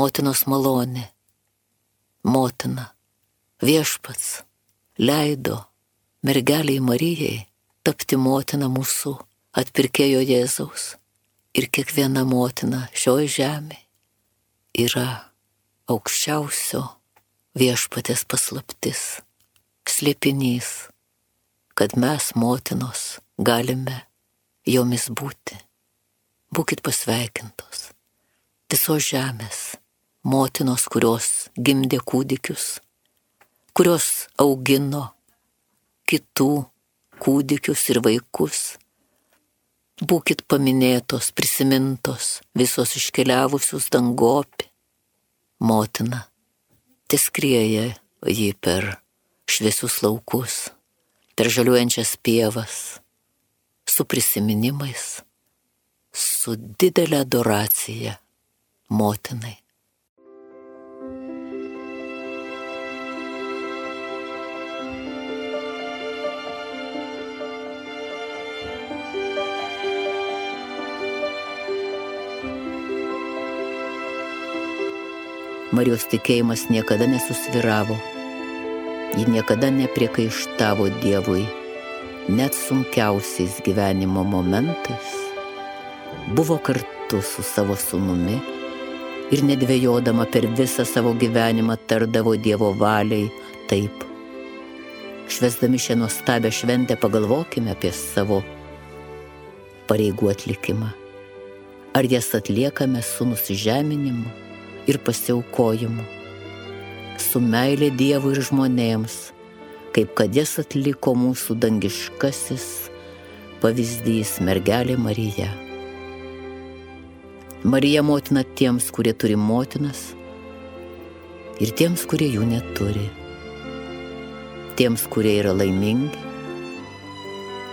motinos malonė. Motina, viešpats, leido mergeliai Marijai tapti motina mūsų atpirkėjo Jėzaus. Ir kiekviena motina šioj žemėje yra aukščiausio viešpatės paslaptis, slėpinys, kad mes, motinos, galime jomis būti. Būkit pasveikintos. Visos žemės motinos, kurios gimdė kūdikius, kurios augino kitų kūdikius ir vaikus. Būkit paminėtos, prisimintos, visos iškeliavusius dangopį. Motina, teskrieja jį per šviesius laukus, per žaliuojančias pievas, su prisiminimais, su didelė adoracija motinai. Marijos tikėjimas niekada nesusvyravo, ji niekada nepriekaištavo Dievui, net sunkiausiais gyvenimo momentais, buvo kartu su savo sūnumi ir nedvejodama per visą savo gyvenimą tardavo Dievo valiai taip. Švęsdami šią nuostabią šventę pagalvokime apie savo pareigų atlikimą. Ar jas atliekame su nusižeminimu ir pasiaukojimu, su meilė Dievui ir žmonėms, kaip kad jas atliko mūsų dangiškasis pavyzdys mergelė Marija. Marija motina tiems, kurie turi motinas, ir tiems, kurie jų neturi. Tiems, kurie yra laimingi,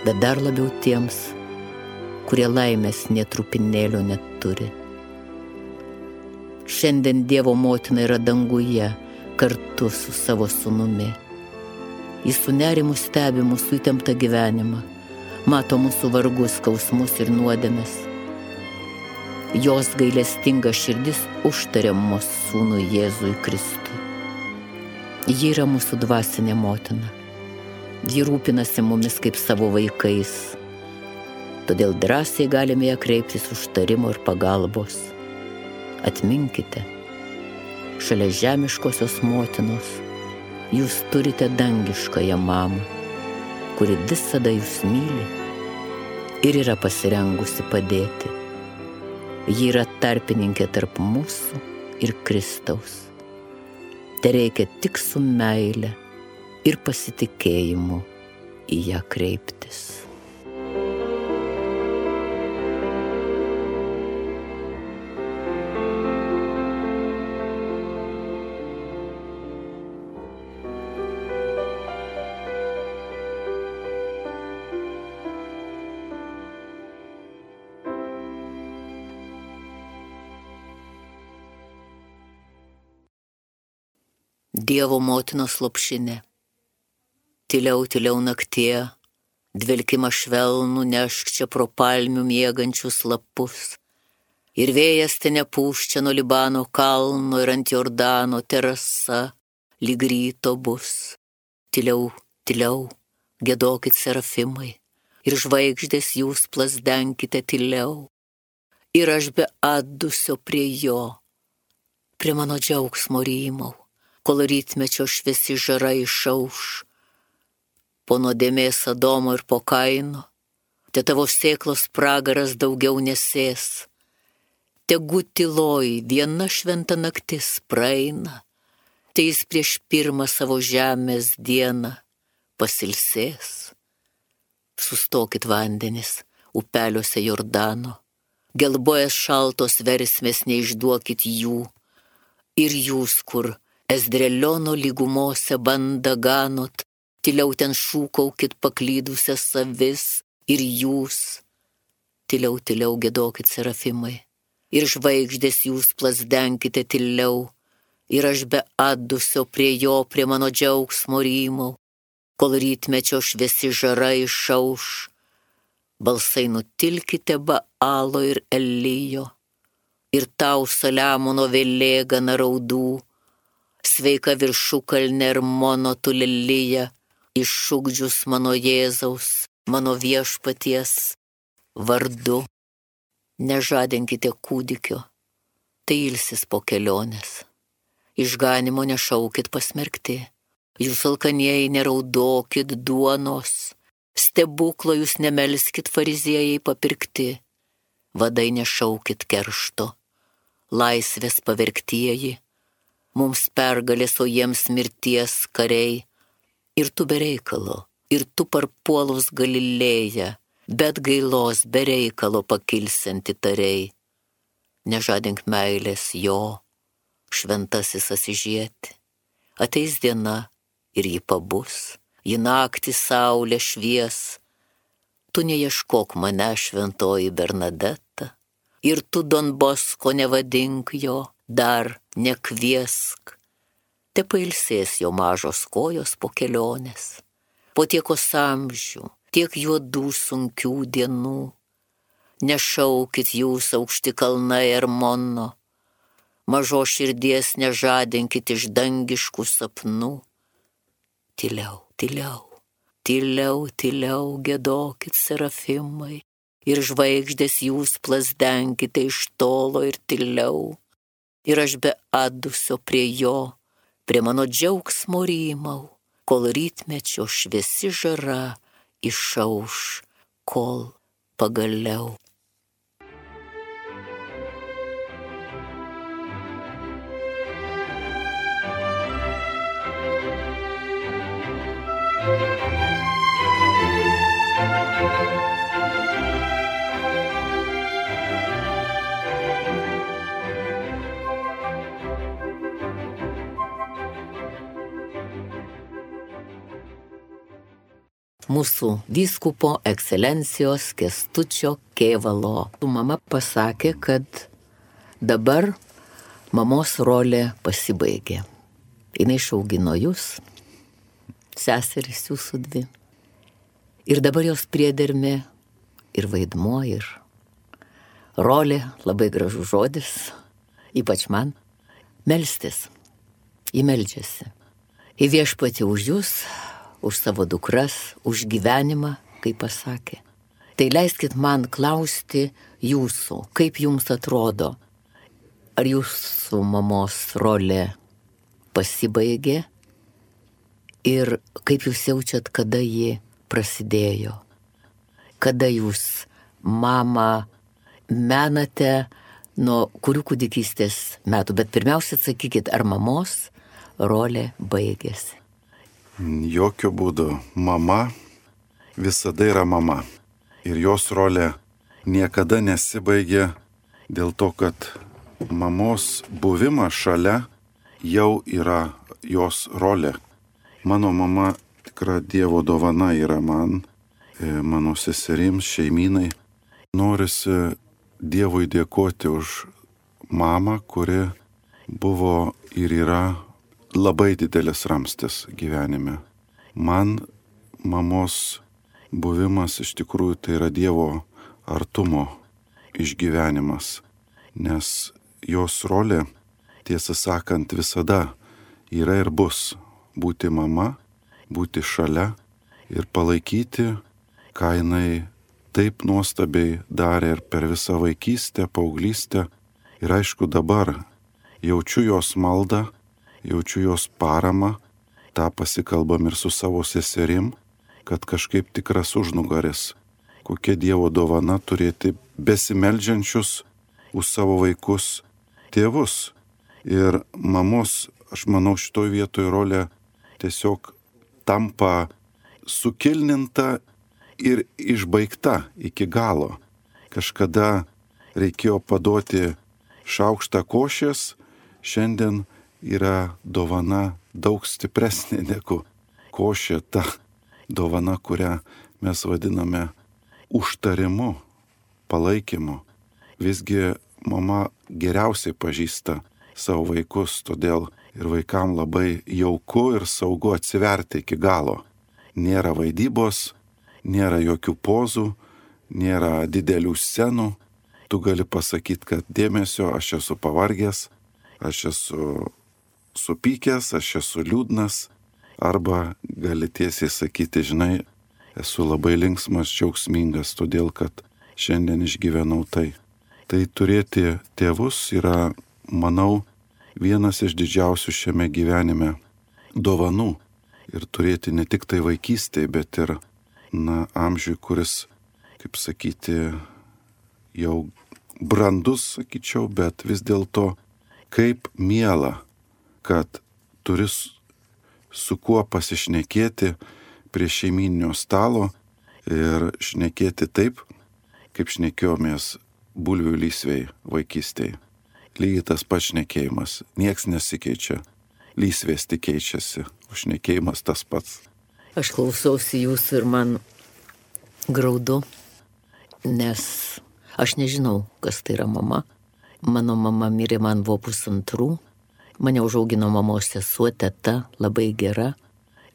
bet dar labiau tiems, kurie laimės nė trupinėlio neturi. Šiandien Dievo motina yra danguje kartu su savo sūnumi. Jis su nerimu stebi mūsų įtemptą gyvenimą, mato mūsų vargus, skausmus ir nuodėmes. Jos gailestinga širdis užtaria mūsų sūnui Jėzui Kristui. Ji yra mūsų dvasinė motina. Ji rūpinasi mumis kaip savo vaikais. Todėl drąsiai galime ją kreiptis užtarimo ir pagalbos. Atminkite, šalia žemiškosios motinos jūs turite dangiškąją mamą, kuri visada jūs myli ir yra pasirengusi padėti. Ji yra tarpininkė tarp mūsų ir Kristaus. Tereikia tik su meile ir pasitikėjimu į ją kreiptis. Dievo motinos lopšinė. Tyliau, tyliau naktie, dvelkimą švelnų nešk čia pro palmių miegančius lapus. Ir vėjas te nepūščia nuo Libano kalno ir ant Jordano terasa lyg ryto bus. Tyliau, tyliau, giedokit serafimai, ir žvaigždės jūs plasdenkite tyliau. Ir aš be atdusio prie jo, prie mano džiaugsmo rymau, kol rytmečio šviesi žara išauš. Po nuodėmės Adomo ir po Kaino, te tavo sėklos pragaras daugiau nesės. Tegu tyloj viena šventa naktis praeina, tai jis prieš pirmą savo žemės dieną pasilsės. Sustokit vandenis upeliuose Jordano, gelbojas šaltos versmės neišduokit jų. Ir jūs, kur Ezdreliono lygumose bandą ganot, tyliau ten šūkaukit paklydusias avis. Ir jūs, tyliau, tyliau giedokit serafimai, ir žvaigždės jūs plasdenkite tyliau. Ir aš be atdusio prie jo, prie mano džiaugsmo rymau, kol rytmečio šviesi žara išauš. Balsai nutilkite Baalo ir Elijo, Ir tau Saliamono vėlė gana raudų, sveika viršukalnė ir mono tu lelija, iššūkdžius mano Jėzaus, mano viešpaties vardu. Nežadinkite kūdikio, tai ilsis po kelionės. Išganimo nešaukit pasmerkti, jūs alkanieji neraudokit duonos, stebuklo jūs nemelskit fariziejai papirkti, vadai nešaukit keršto, laisvės pavergtieji, mums pergalės, o jiems mirties kariai, ir tu bereikalo, ir tu parpuolus Galilėją, bet gailos bereikalo pakilsianti tariai. Nežadink meilės jo, šventasis Asižieti, ateis diena ir ji pabus, ji naktį saulė švies. Tu neieškok mane, šventoji Bernadeta, ir tu Don Bosko nevadink jo, dar nekviesk. Te pailsės jo mažos kojos po kelionės, po tiekos amžių, tiek juodų sunkių dienų. Nešaukit jūs aukšti kalnai Ermono, mažo širdies nežadinkit iš dangiškų sapnų. Tyliau, tyliau, tyliau, tyliau giedokit serafimai, ir žvaigždės jūs plasdenkite iš tolo ir tyliau. Ir aš be atdusio prie jo, prie mano džiaugsmo rymau, kol rytmečio šviesi žara išauš, kol pagaliau. Mūsų vyskupo ekscelencijos Kęstučio Kėvalo mama pasakė, kad dabar mamos rolė pasibaigė. Jinai išaugino jūs, seserys jūsų dvi. Ir dabar jos priedermė ir vaidmuo, ir rolė, labai gražus žodis, ypač man, melstis. Ji meldžiasi. Į viešpatį už jūs, už savo dukras, už gyvenimą, kaip pasakė. Tai leiskit man klausti jūsų, kaip jums atrodo, ar jūsų mamos rolė pasibaigė ir kaip jūs jaučiat, kada ji prasidėjo, kada jūs mamą menate nuo kurių kūdikystės metų, bet pirmiausia atsakykit, ar mamos rolė baigėsi. Jokių būdų. Mama visada yra mama. Ir jos rolė niekada nesibaigė dėl to, kad mamos buvimas šalia jau yra jos rolė. Mano mama tikra Dievo dovana yra man, mano seserims, šeimynai. Norisi Dievui dėkoti už mamą, kuri buvo ir yra labai didelis ramstis gyvenime. Man mamos buvimas iš tikrųjų tai yra Dievo artumo išgyvenimas, nes jos rolė, tiesą sakant, visada yra ir bus būti mama, būti šalia ir palaikyti, ką jinai taip nuostabiai darė ir per visą vaikystę, paauglystę. Ir aišku, dabar jaučiu jos maldą, jaučiu jos paramą, tą pasikalbam ir su savo seserim, kad kažkaip tikras užnugaris, kokia Dievo dovana turėti besimeldžiančius už savo vaikus tėvus. Ir mamos, aš manau, šitoj vietoj rolė tiesiog tampa sukilninta ir išbaigta iki galo. Kažkada reikėjo paduoti šaukštą košės, šiandien yra dovana daug stipresnė negu košė, ta dovana, kurią mes vadiname užtarimu, palaikymu. Visgi mama geriausiai pažįsta savo vaikus, todėl ir vaikam labai jauku ir saugu atsiverti iki galo. Nėra vaidybos, nėra jokių pozų, nėra didelių scenų, tu gali pasakyti, kad dėmesio, aš esu pavargęs, aš esu supykęs, aš esu liūdnas, arba gali tiesiai sakyti, žinai, esu labai linksmas, džiaugsmingas, todėl kad šiandien išgyvenau tai. Tai turėti tėvus yra, manau, vienas iš didžiausių šiame gyvenime dovanų. Ir turėti ne tik tai vaikystėje, bet ir, amžiui, kuris, kaip sakyti, jau brandus, sakyčiau, bet vis dėlto kaip miela, kad turi su kuo pasišnekėti prie šeimyninio stalo ir šnekėti taip, kaip šnekėjomės bulvių lysvei vaikystėje. Lygiai tas pats šnekėjimas, nieks nesikeičia, lysvės tik keičiasi, o šnekėjimas tas pats. Aš klausausi jūsų ir man graudu, nes aš nežinau, kas tai yra mama. Mano mama mirė, man buvo 2,5. Mane užaugino mamos sesuo, teta, labai gera.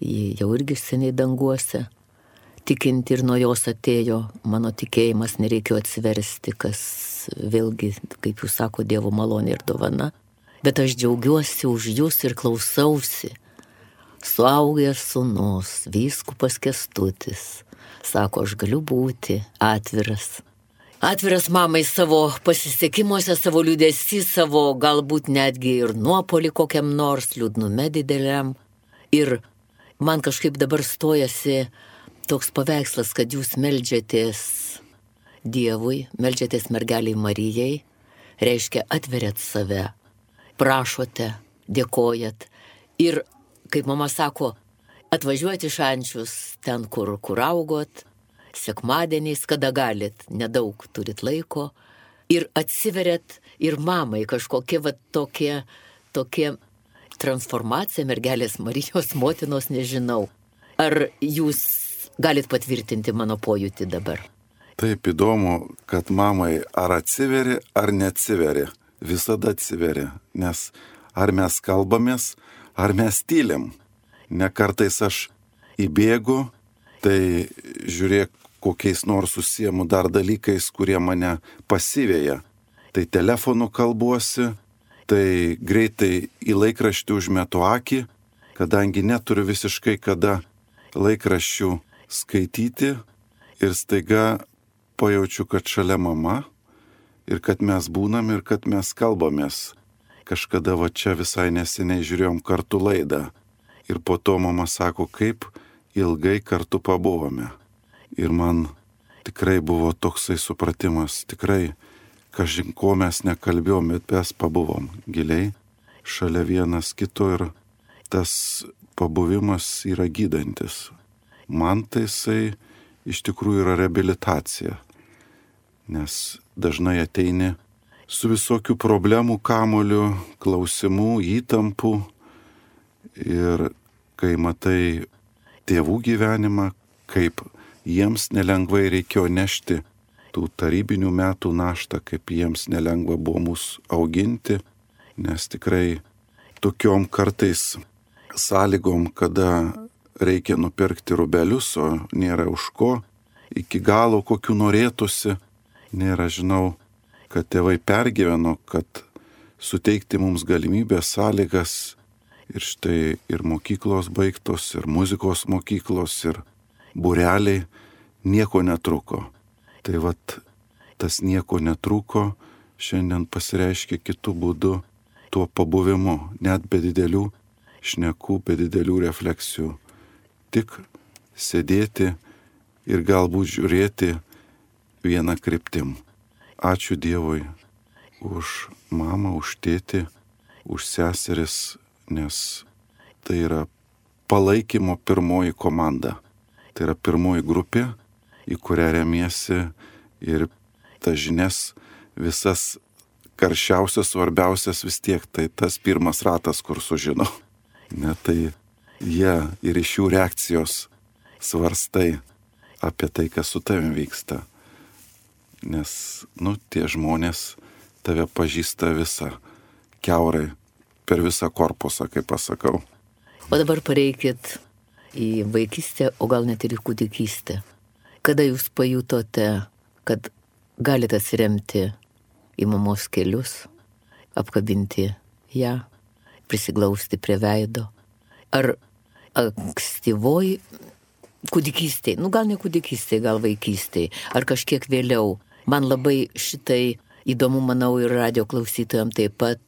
Ji jau irgi seniai danguose. Tikinti ir nuo jos atėjo mano tikėjimas, nereikėjo atsiversti, kas vėlgi, kaip jūs sako, Dievo malonė ir dovana. Bet aš džiaugiuosi už jūs ir klausausi. Suaugęs sūnus, vyskupas Kęstutis, sako, aš galiu būti atviras. Atviras mamai savo pasisekimuose, savo liūdesį, savo galbūt netgi ir nuopolį kokiam nors liūdnume dideliam. Ir man kažkaip dabar stojasi toks paveikslas, kad jūs meldžiatės Dievui, meldžiatės mergeliai Marijai, reiškia atveriat save, prašote, dėkojat. Ir, kaip mama sako, atvažiuoti į Šančius, ten, kur augot, sekmadieniais, kada galit, nedaug turit laiko, ir atsiveriat ir mamai kažkokie tokie transformacija mergelės Marijos motinos, nežinau. Ar jūs galit patvirtinti mano pojūtį dabar? Taip įdomu, kad mamai ar atsiveri, ar neatsiveri. Visada atsiveri, nes ar mes kalbamės, ar mes tylim. Ne kartais aš įbėgu, tai žiūrėk, kokiais nors užsiemu dar dalykais, kurie mane pasiveja. Tai telefonu kalbuosi, tai greitai į laikraštį užmetu akį, kadangi neturiu visiškai kada laikraščių skaityti ir staiga pajaučiu, kad šalia mama ir kad mes būnam ir kad mes kalbamės. Kažkada va čia visai neseniai žiūrėjom kartu laidą ir po to mama sako, kaip ilgai kartu pabuvome. Ir man tikrai buvo toksai supratimas, tikrai, kažin ko mes nekalbėjom, bet mes pabuvom giliai, šalia vienas kito ir tas pabuvimas yra gydantis. Man tai jisai iš tikrųjų yra reabilitacija, nes dažnai ateini su visokių problemų, kamuolių, klausimų, įtampų ir kai matai tėvų gyvenimą, kaip jiems nelengvai reikėjo nešti tų tarybinių metų naštą, kaip jiems nelengva buvo mus auginti, nes tikrai tokiom kartais sąlygom, kada reikia nupirkti rubelius, o nėra už ko, iki galo kokių norėtųsi, nėra, žinau, kad tėvai pergyveno, kad suteikti mums galimybės, sąlygas ir štai ir mokyklos baigtos, ir muzikos mokyklos, ir būreliai, nieko netruko. Tai vat tas nieko netruko šiandien pasireiškia kitų būdų tuo pabuvimu, net be didelių šnekų, be didelių refleksijų. Tik sėdėti ir galbūt žiūrėti vieną kryptim. Ačiū Dievui už mamą, už tėtį, už seseris, nes tai yra palaikymo pirmoji komanda. Tai yra pirmoji grupė, į kurią remiesi ir tas žinias visas karščiausias, svarbiausias vis tiek, tai tas pirmas ratas, kur sužino. Ne, tai jie ir iš jų reakcijos svarstai apie tai, kas su tavim vyksta. Nes, tie žmonės tave pažįsta visą, kiaurai, per visą korpusą, kaip pasakau. O dabar pareikit į vaikystę, o gal net ir į kūdikystę. Kada jūs pajutote, kad galite atsiremti į mamos kelius, apkabinti ją, prisiglausti prie veido. Ar ankstyvoj kūdikystėj, gal ne kūdikystėj, gal vaikystėj, ar kažkiek vėliau. Man labai šitai įdomu, manau, ir radio klausytojams taip pat,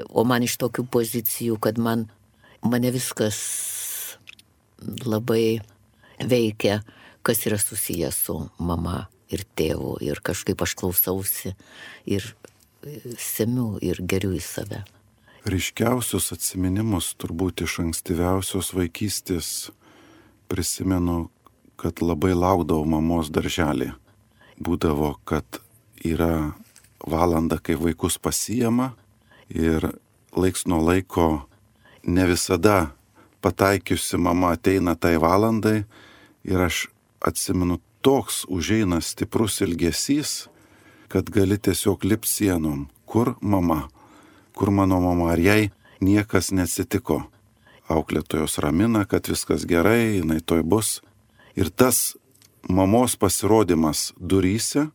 o man iš tokių pozicijų, kad mane viskas labai veikia, kas yra susijęs su mama ir tėvu, ir kažkaip aš klausausi ir semiu ir geriu į save. Ryškiausius atsiminimus turbūt iš ankstyviausios vaikystės prisimenu, kad labai laukdavau mamos darželį. Būdavo, kad yra valanda, kai vaikus pasiima ir laiks nuo laiko ne visada pataikiusi mama ateina tai valandai ir aš atsimenu, toks užeina stiprus ilgesys, kad gali tiesiog lipti sienom. Kur mama? Kur mano mama? Ar jai niekas neatsitiko? Auklėtojos ramina, kad viskas gerai, jinai toj bus. Ir tas mamos pasirodymas duryse,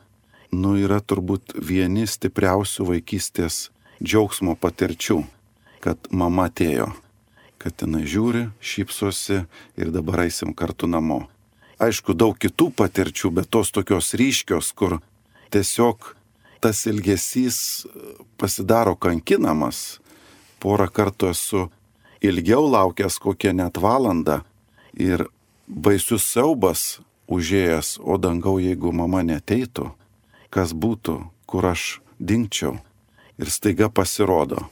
yra turbūt vieni stipriausių vaikystės džiaugsmo patirčių, kad mama atėjo, kad jinai žiūri, šypsosi ir dabar eisim kartu namo. Aišku, daug kitų patirčių, bet tos tokios ryškios, kur tiesiog tas ilgesys pasidaro kankinamas. Porą kartų esu ilgiau laukęs kokią net valandą ir baisus siaubas užėjęs, o dangau, jeigu mama neteitų, kas būtų, kur aš dingčiau. Ir staiga pasirodo.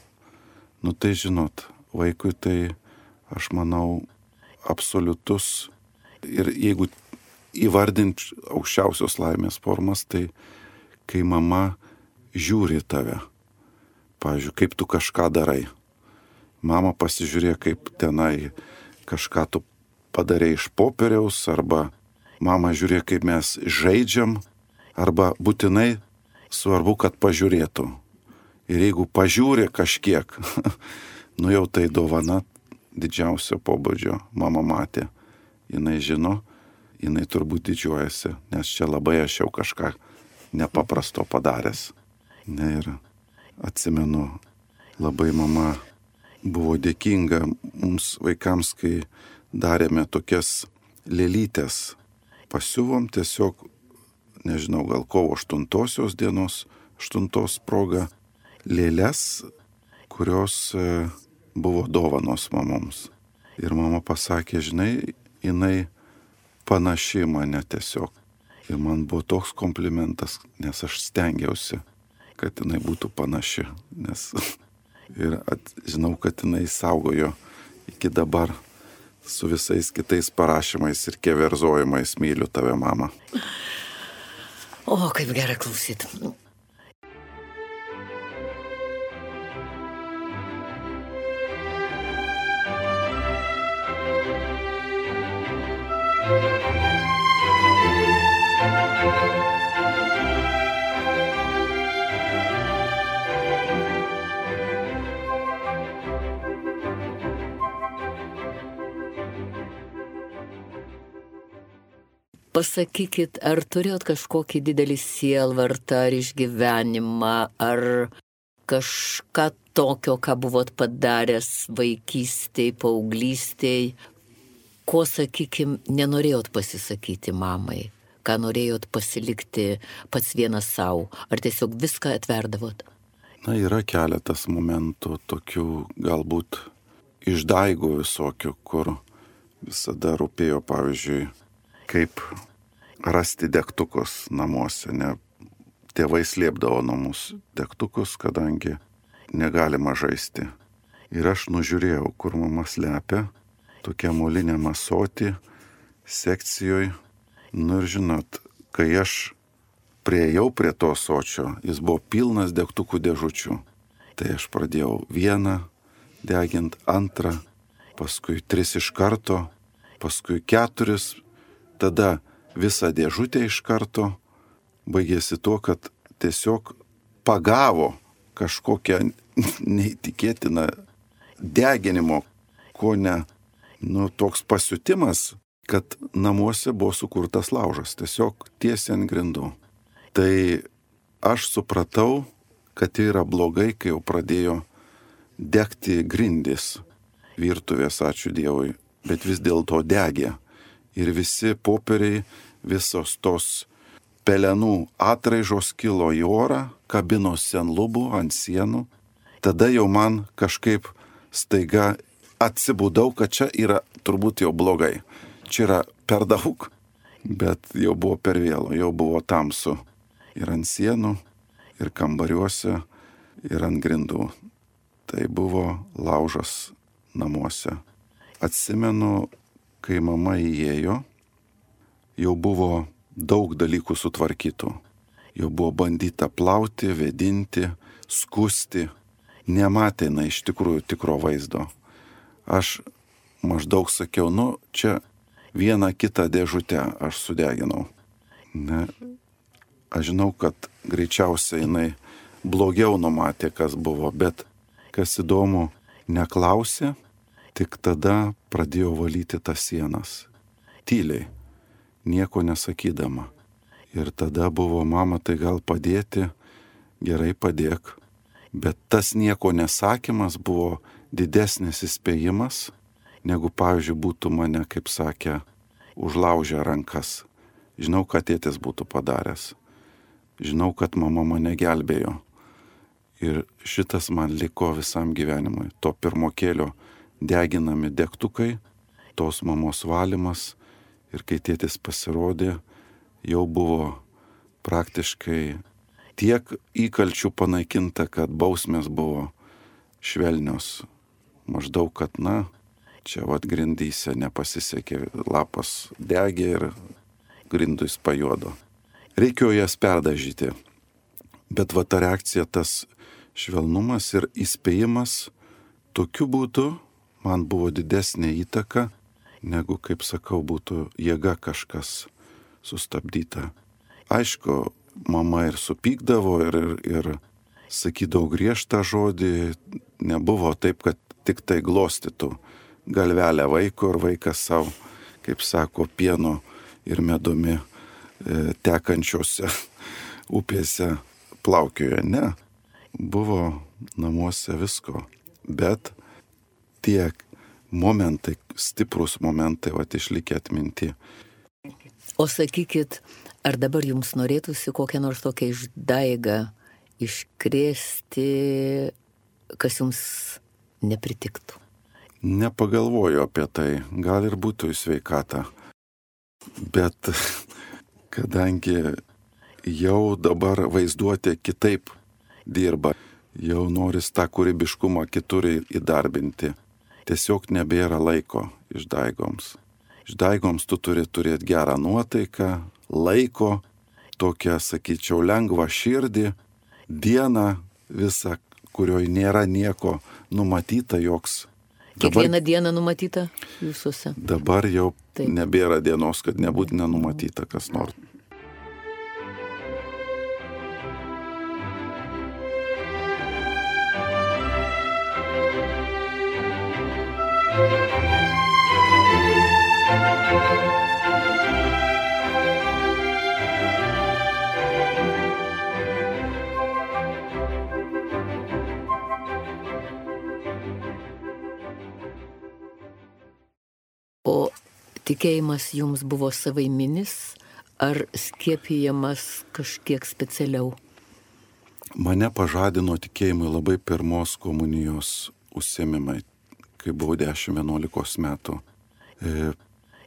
Tai žinot, vaikui tai, aš manau, absoliutus. Ir jeigu įvardint aukščiausios laimės formas, tai kai mama žiūri tave. Pavyzdžiui, kaip tu kažką darai. Mama pasižiūrė, kaip tenai kažką tu padarė iš popieriaus, arba mama žiūrė, kaip mes žaidžiam, arba būtinai svarbu, kad pažiūrėtų. Ir jeigu pažiūrė kažkiek, jau tai dovana didžiausio pobūdžio. Mama matė, jinai žino, jinai turbūt didžiuojasi, nes čia labai aš jau kažką nepaprasto padaręs. Ir atsimenu, labai mama buvo dėkinga mums vaikams, kai darėme tokias lėlytes. Pasiuvom tiesiog, nežinau, gal kovo 8 dienos, 8 proga, lėles, kurios buvo dovanos mamoms. Ir mama pasakė, žinai, jinai panaši mane tiesiog. Ir man buvo toks komplimentas, nes aš stengiausi, kad jinai būtų panaši. Ir žinau, kad jinai saugojo iki dabar su visais kitais parašymais ir keverzojimais. Myliu tave, mama. O, kaip gerai klausyti. Pasakykit, ar turėjot kažkokį didelį sielvartą ar išgyvenimą, ar kažką tokio, ką buvot padaręs vaikystėj, paauglystėj, ko, sakykim, nenorėjot pasisakyti mamai, ką norėjot pasilikti pats vienas savo, ar tiesiog viską atverdavot? Yra keletas momentų tokių galbūt išdaigų visokių, kur visada rūpėjo, pavyzdžiui, kaip rasti degtukus namuose. Tėvai slėpdavo nuo mūsų degtukus, kadangi negalima žaisti. Ir aš nužiūrėjau, kur mama slepia, tokia molinė ąsotį sekcijoje. Ir žinot, kai aš priėjau prie to ąsočio, jis buvo pilnas degtukų dėžučių. Tai aš pradėjau vieną degint, antrą, paskui 3 iš karto, paskui 4, tada visą dėžutę iš karto. Baigėsi tuo, kad tiesiog pagavo kažkokią neįtikėtiną deginimo, ko ne, toks pasiutimas, kad namuose buvo sukurtas laužas, tiesiog tiesiai ant grindų. Tai aš supratau, kad tai yra blogai, kai jau pradėjo degti grindys virtuvės, ačiū Dievui, bet vis dėlto degė. Ir visi popieriai, visos tos pelenų atraižos kilo į orą, kabinosi ant lubų, ant sienų. Tada jau man kažkaip staiga atsibudau, kad čia yra turbūt jau blogai. Čia yra per daug, bet jau buvo per vėlu, jau buvo tamsu. Ir ant sienų, ir kambariuose, ir ant grindų. Tai buvo laužas namuose. Atsimenu, kai mama įėjo, jau buvo daug dalykų sutvarkytų. Jau buvo bandyta plauti, vėdinti, skusti. Nematė iš tikrųjų tikro vaizdo. Aš maždaug sakiau, čia vieną kitą dėžutę aš sudeginau. Ne, aš žinau, kad greičiausiai jinai blogiau numatė, kas buvo, bet kas įdomu, neklausė, tik tada pradėjo valyti tas sienas. Tyliai, nieko nesakydama. Ir tada buvo, mama, tai gal padėti, gerai padėk. Bet tas nieko nesakymas buvo didesnis įspėjimas, negu, pavyzdžiui, būtų mane, kaip sakė, užlaužę rankas. Žinau, kad tėtis būtų padaręs. Žinau, kad mama mane gelbėjo. Ir šitas man liko visam gyvenimui. To pirmokėlio deginami degtukai, tos mamos valymas. Ir kai tėtis pasirodė, jau buvo praktiškai tiek įkalčių panaikinta, kad bausmės buvo švelnios. Maždaug, kad čia grindyse nepasisekė, lapas degė ir grindus pajuodo. Reikėjo jas perdažyti. Bet ta reakcija, tas švelnumas ir įspėjimas, tokiu būdu man buvo didesnė įtaka, negu, kaip sakau, būtų jėga kažkas sustabdyta. Aišku, mama ir supykdavo ir sakydavo griežtą žodį, nebuvo taip, kad tik tai glostytų galvelę vaiko ir vaikas savo, kaip sako, pieno ir medumi tekančiose upėse plaukiojo. Ne, buvo namuose visko, bet tie momentai, stiprus momentai, išlikę atminti. O sakykit, ar dabar jums norėtųsi kokią nors tokią išdaigą iškrėsti, kas jums nepritiktų? Nepagalvoju apie tai, gal ir būtų į sveikatą. Bet kadangi jau dabar vaizduotė kitaip dirba, jau noris tą kūrybiškumą kitur įdarbinti, tiesiog nebėra laiko išdaigoms. Išdaigoms tu turi turėti gerą nuotaiką, laiko, tokią, sakyčiau, lengvą širdį, dieną visą, kurioje nėra nieko numatyta, joks. Kiekvieną dieną numatyta jūsuose? Dabar jau taip. Nebėra dienos, kad nebūtų nenumatyta kas nors. O tikėjimas jums buvo savaiminis ar skiepijamas kažkiek specialiau? Mane pažadino tikėjimui labai pirmos komunijos užsiėmimai, kai buvau 10-11 metų.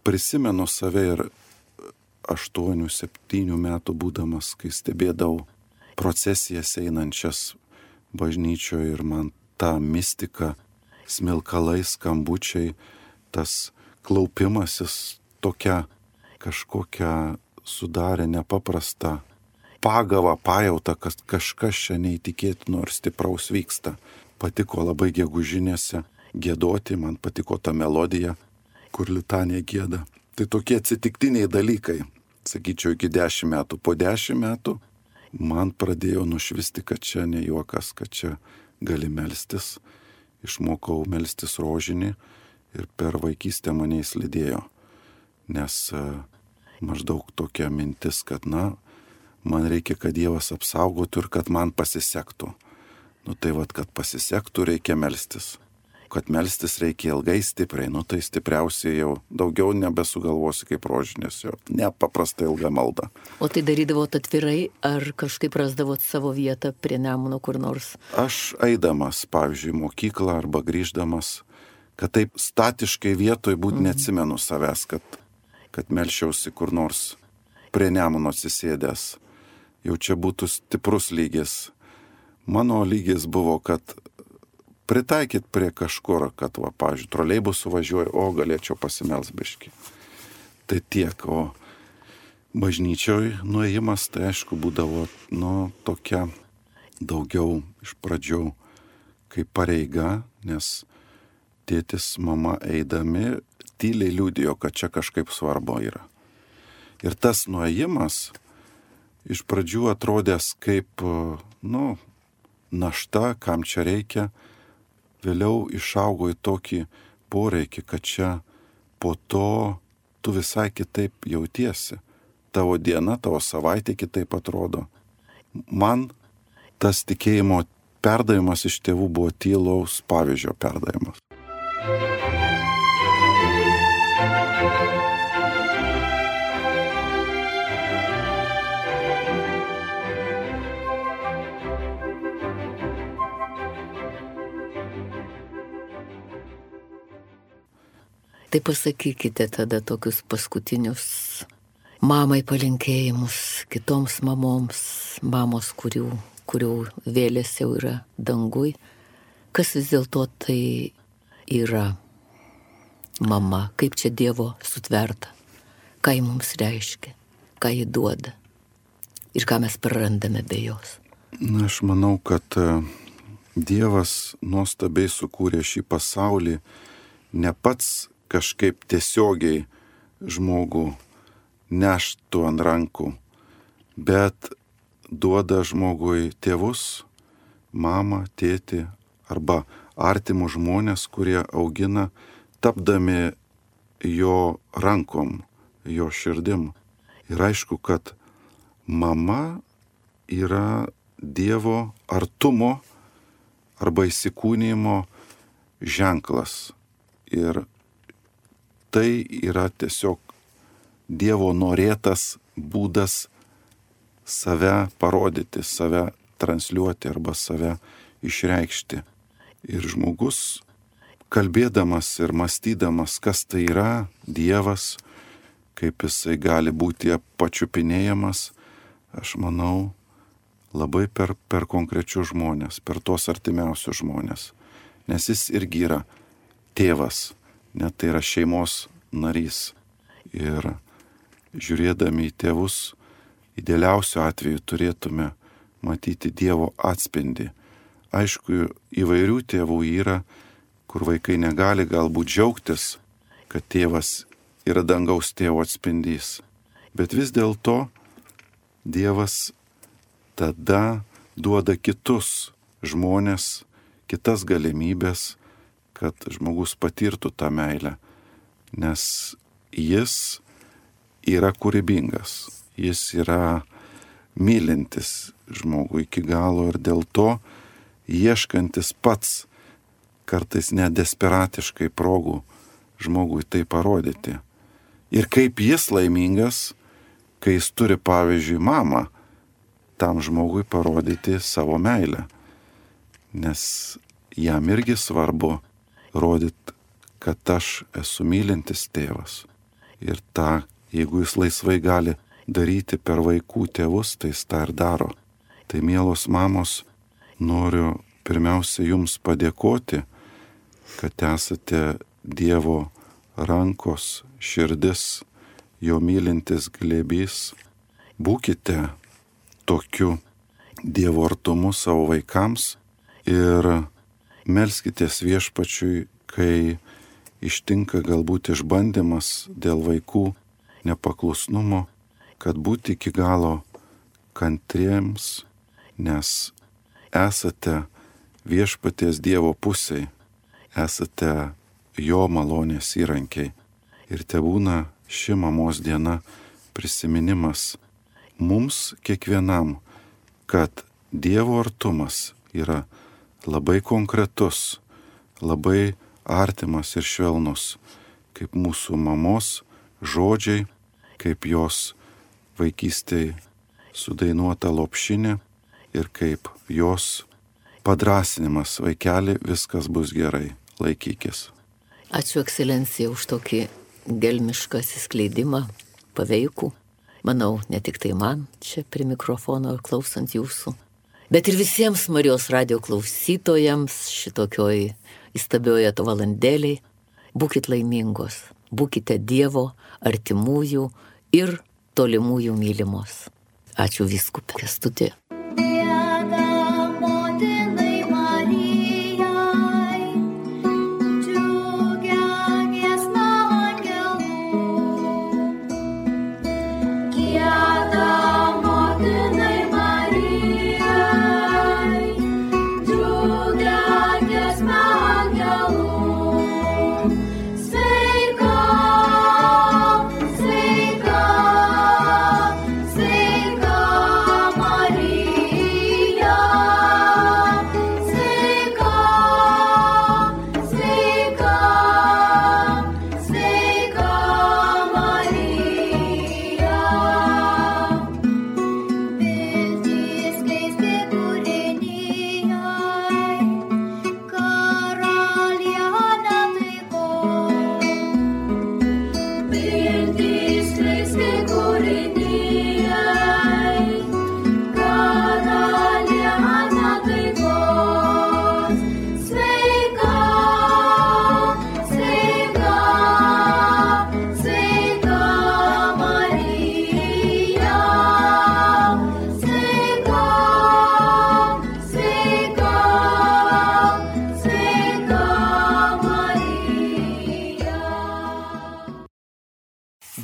Prisimenu save ir 8-7 metų būdamas, kai stebėdavau procesijas einančias bažnyčioje ir man ta mistika, smilkalai, skambučiai, tas klaupimasis tokia kažkokia sudarė nepaprastą pagavą, pajautą, kad kažkas čia neįtikėtino ir stipraus vyksta. Patiko labai gegužinėse giedoti, man patiko ta melodija, kur litanija gieda. Tai tokie atsitiktiniai dalykai, sakyčiau, iki 10 metų. Po 10 metų man pradėjo nušvisti, kad čia ne juokas, kad čia gali melstis. Išmokau melstis rožinį ir per vaikystę mane įslydėjo. Nes maždaug tokia mintis, kad man reikia, kad Dievas apsaugotų ir kad man pasisektų. Nu tai vat, kad pasisektų, reikia melstis. Kad melstis reikia ilgai, stipriai, nu tai stipriausiai jau daugiau nebesugalvosi kaip rožinės, jau nepaprastai ilga malda. O tai darydavot atvirai, ar kažkaip rasdavot savo vietą prie Nemuno kur nors? Aš eidamas, pavyzdžiui, į mokyklą arba grįždamas, kad taip statiškai vietoj būt neatsimenu savęs, kad melšiausi kur nors prie Nemuno atsisėdęs. Jau čia būtų stiprus lygis. Mano lygis buvo, kad pritaikyt prie kažkur, kad, va, pavyzdžiui, troleibusų važiuoju, o galėčiau pasimelst biškį. Tai tiek, o bažnyčioj nuėjimas, tai aišku, būdavo, tokia daugiau iš pradžių kaip pareiga, nes tėtis, mama eidami tyliai liudijo, kad čia kažkaip svarbu yra. Ir tas nuėjimas iš pradžių atrodęs kaip, našta, kam čia reikia, vėliau išaugo į tokį poreikį, kad čia po to tu visai kitaip jautiesi. Tavo diena, tavo savaitė kitaip atrodo. Man tas tikėjimo perdavimas iš tėvų buvo tylaus pavyzdžio perdavimas. Tai pasakykite tada tokius paskutinius mamai palinkėjimus kitoms mamoms, mamos, kurių vėlės jau yra dangui. Kas vis dėlto tai yra mama, kaip čia Dievo sutverta, ką ji mums reiškia, ką ji duoda ir ką mes prarandame be jos. Aš manau, kad Dievas nuostabiai sukūrė šį pasaulį, ne pats kažkaip tiesiogiai žmogų neštų ant rankų, bet duoda žmogui tėvus, mamą, tėtį arba artimų žmonės, kurie augina, tapdami jo rankom, jo širdim. Ir aišku, kad mama yra Dievo artumo arba įsikūnijimo ženklas. Ir tai yra tiesiog Dievo norėtas būdas save parodyti, save transliuoti arba save išreikšti. Ir žmogus, kalbėdamas ir mąstydamas, kas tai yra Dievas, kaip jisai gali būti pačiupinėjamas, aš manau, labai per konkrečius žmonės, per tos artimiausius žmonės. Nes jis irgi yra tėvas, net tai yra šeimos narys. Ir žiūrėdami į tėvus, idealiausiu atveju turėtume matyti Dievo atspindį. Aišku, įvairių tėvų yra, kur vaikai negali galbūt džiaugtis, kad tėvas yra dangaus tėvo atspindys. Bet vis dėlto Dievas tada duoda kitus žmonės, kitas galimybės, kad žmogus patirtų tą meilę, nes jis yra kūrybingas, jis yra mylintis žmogų iki galo ir dėl to ieškantis pats kartais net desperatiškai progų žmogui tai parodyti. Ir kaip jis laimingas, kai jis turi, pavyzdžiui, mamą, tam žmogui parodyti savo meilę. Nes jam irgi svarbu rodyti, kad aš esu mylintis tėvas. Ir tą, jeigu jis laisvai gali daryti per vaikų tėvus, tai jis tą ir daro. Tai, mielos mamos, noriu pirmiausia jums padėkoti, kad esate Dievo rankos, širdis, jo mylintis glėbys. Būkite tokiu Dievo artumu savo vaikams ir melskitės Viešpačiui, kai ištinka galbūt išbandymas dėl vaikų nepaklusnumo, kad būti iki galo kantriems, nes esate Viešpaties Dievo pusėj, esate jo malonės įrankiai. Ir tebūna ši mamos diena prisiminimas mums kiekvienam, kad Dievo artumas yra labai konkretus, labai artimas ir švelnus, kaip mūsų mamos žodžiai, kaip jos vaikystėje sudainuota lopšinė ir kaip jos padrasinimas: vaikeli, viskas bus gerai, laikykis. Ačiū, ekscelencija, už tokį gelmišką atsiskleidimą, paveikų. Manau, ne tik tai man čia prie mikrofono ir klausant jūsų, bet ir visiems Marijos radijo klausytojams šitokioj įstabioje valandėliai. Būkit laimingos, būkite Dievo, artimųjų ir tolimųjų mylimos. Ačiū vyskupė Kęstuti.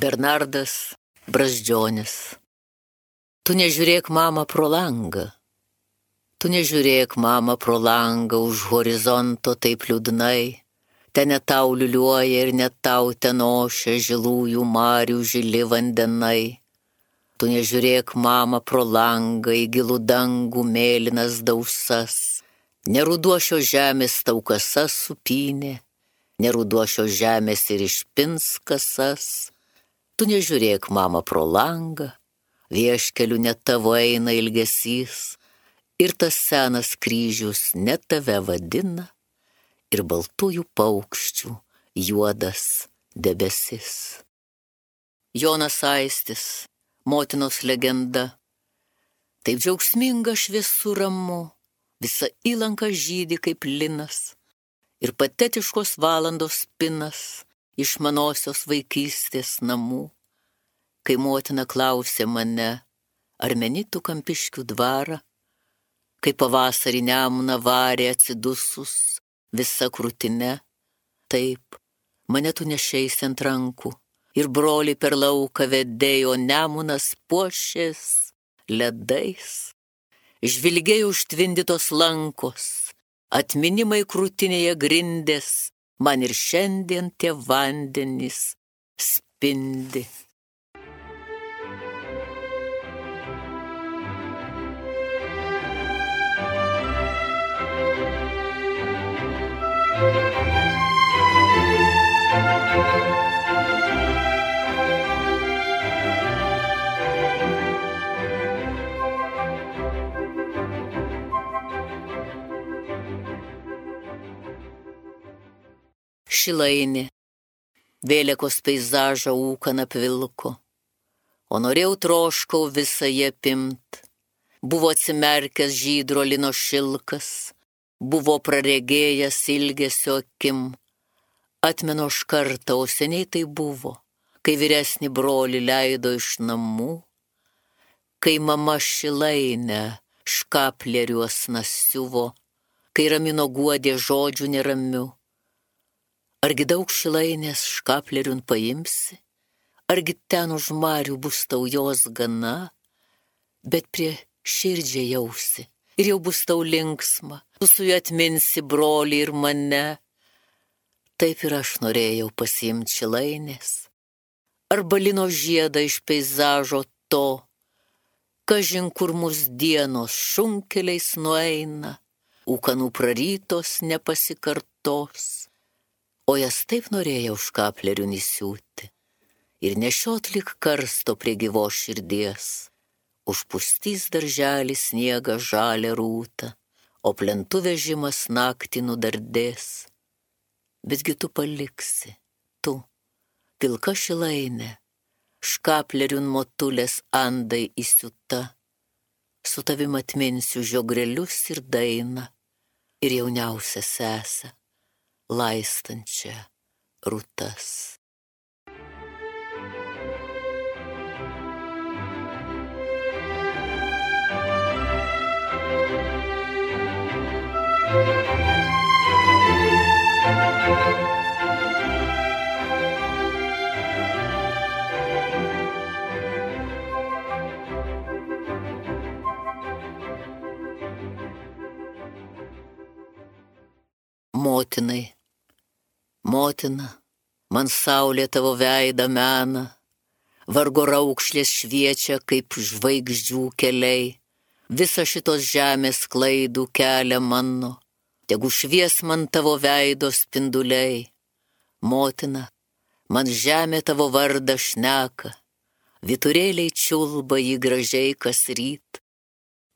Bernardas Brazdžionis. Tu nežiūrėk, mama, pro langą. Tu nežiūrėk, mama, pro langą už horizonto taip liūdnai. Ten ne tau liuliuoja ir ne tau ten ošia žilųjų marių žili vandenai. Tu nežiūrėk, mama, pro langą į gilų dangų mėlynas dausas. Neruduošio žemės tau kasas supynė, neruduošio žemės ir išpins kasas. Tu nežiūrėk, mama, pro langą, vieškeliu net tavo eina ilgesys, ir tas senas kryžius net tave vadina, ir baltųjų paukščių juodas debesis. Jonas Aistis, motinos legenda, taip džiaugsminga šviesu ramu, visa įlanka žydi kaip linas, ir patetiškos valandos spinas iš manosios vaikystės namų, kai motina klausė mane, ar meni tu Kampiškių dvarą, kai pavasarį Nemuną varė atsidusus visa krūtine. Taip, mane tu nešeisi ant rankų, ir broliai per lauką vedėjo, Nemunas puošės ledais. Žvilgėjo užtvindytos lankos, atminimai krūtinėje grindės, man ir šiandien tie vandenys spindi. Šilainė, vėliakos peizažą ūkan apvilko, o norėjau troškau visą jį apimt. Buvo atsimerkęs žydro lino šilkas, buvo praregėjęs ilgesio akim. Atmenu aš kartą, o seniai tai buvo, kai vyresnį brolį leido iš namų, kai mama Šilainę škapleriuos nasiuvo, kai ramino guodė žodžių neramių. Argi daug Šilainės škapleriun paimsi, argi ten už marių bus tau jos gana, bet prie širdžiai jausi, ir jau bus tau linksma, tu su juo atminsi brolį ir mane. Taip ir aš norėjau pasiimti Šilainės, arba lino žiedą iš peizažo to, kažin kur mus dienos šunkeliais nueina, ūkanų prarytos nepasikartos, o jas taip norėjau škaplerių nisiūti ir nešiot lyg karsto prie gyvos širdies. Užpustys darželį sniegą žalią rūtą, o plentų vežimas naktį nudardės. Betgi tu paliksi, tu, pilka šilainė, škaplerių motulės andai įsiūta, su tavim atminsiu žiogrelius ir dainą, ir jauniausią sesę, laistančią rūtas. Motinai, motina, man saulė tavo veidą mena, vargo raukšlės šviečia kaip žvaigždžių keliai, visa šitos žemės klaidų kelia mano, tegu švies man tavo veido spinduliai. Motina, man žemė tavo vardą šneka, vyturėliai čiulba jį gražiai kas ryt,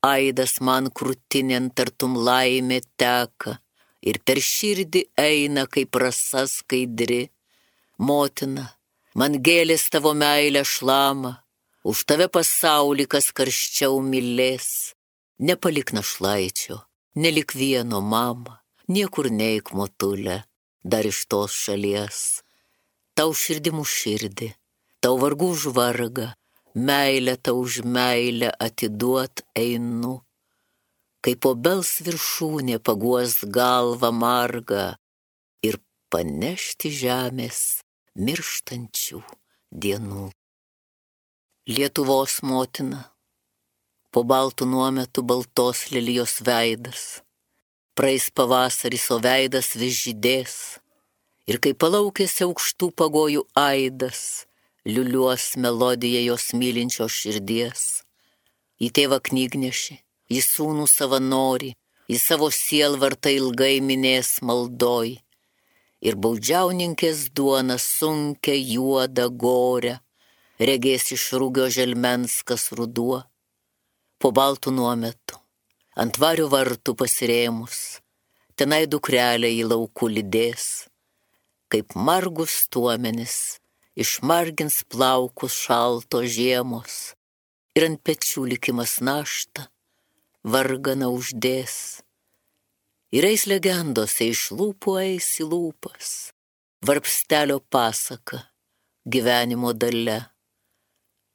aidas man krūtinėn tartum laimė teka, ir per širdį eina kaip rasa skaidri. Motina, man gėlės tavo meilę šlama, už tave pasaulį kas karščiau mylės. Nepalik našlaičio, nelik vieno mama, niekur neik motulė, dar iš tos šalies. Tau širdimu širdį, tau vargu už vargą, meilę tau už meilę atiduot einu. Kaip obels viršūnė paguos galvą margą ir panešti žemės mirštančių dienų. Lietuvos motina, po baltų nuometų baltos lilijos veidas, praeis pavasaris, o veidas vis žydės, ir kai palaukėsi aukštų pagojų aidas, liuliuos melodiją jos mylinčios širdies. Į tėvą knygnešį, į sūnų savanorį, į savo sielvartą ilgai minės maldoj, ir baudžiauninkės duona sunkia juoda gorę, regės iš rūgio želmens kas ruduo. Po baltų nuometų, ant vario vartų pasirėmus, tenai dukrelė į laukų lydės, kaip margus tuomenis, išmargins plaukus šalto žiemos, ir ant pečių likimas naštą varganą uždės. Ir eis legendose iš lūpų eis į lūpas, varpstelio pasaka, gyvenimo dalia.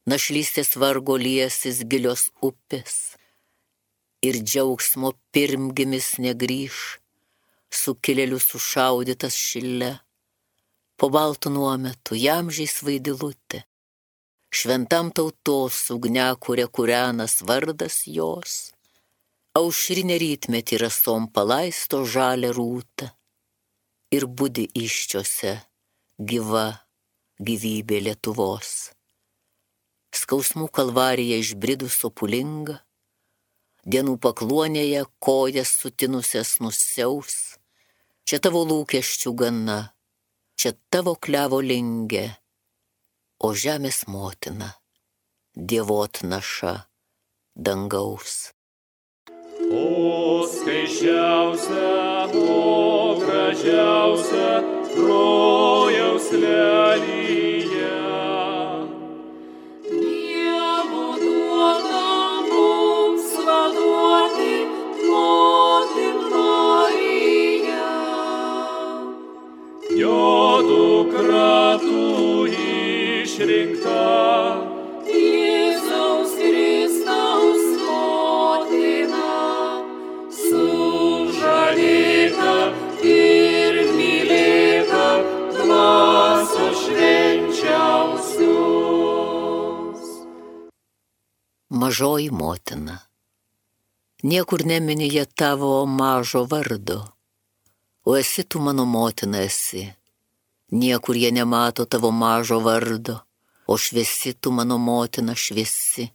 Našlystės vargo liesis gilios upės, ir džiaugsmo pirmgimis negrįš, sukilėlių sušaudytas šile. Po baltų nuometų jamžiais vaidilutė, šventam tautos ugniakuria kūrenas vardas jos, aušrinė rytmetį rasom palaisto žalią rūtą, ir budi iščiose gyva gyvybė Lietuvos. Skausmų kalvarija išbridus sopulinga, dienų pakluonėje kojas sutinusias nusiaus, čia tavo lūkesčių gana, čia tavo klevo lingė, o žemės motina, dievot naša dangaus. O skaisčiausia, o gražiausia, rojaus lelija. Dievo duota mums vaduoti, motin Marija. Jo dukra tu išrinkta, Jėzaus Kristaus motina, sužadėta ir mylėta dvasios švenčiausios. Mažoji motina, niekur nemini jie tavo mažo vardo, o esi tu mano motina esi. Niekur jie nemato tavo mažo vardo, o šviesi tu mano motina šviesi.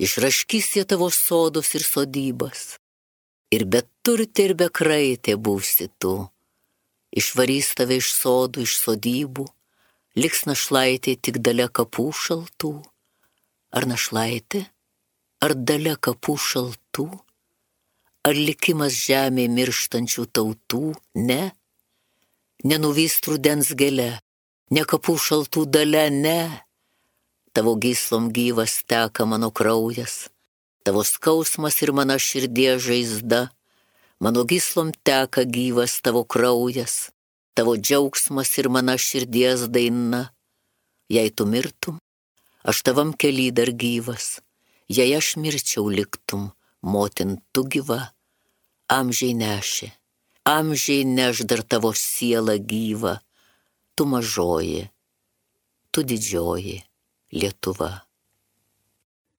Išraškys jie tavo sodus ir sodybas. Ir be turtė ir be kraitė būsi tu. Išvarys tave iš sodų, iš sodybų, liks našlaitė tik dalia kapų šaltų. Ar našlaitė, ar dalia kapų šaltų, ar likimas žemė mirštančių tautų, ne? Nenuvys rudens gėle, ne kapų šaltų dalia, ne. Tavo gyslom gyvas teka mano kraujas, tavo skausmas ir mano širdies žaizda, mano gyslom teka gyvas tavo kraujas, tavo džiaugsmas ir mano širdies daina. Jei tu mirtum, aš tavam kely dar gyvas, jei aš mirčiau liktum, motin tu gyva, amžiai neš dar tavo siela gyva, tu mažoji, tu didžioji Lietuva.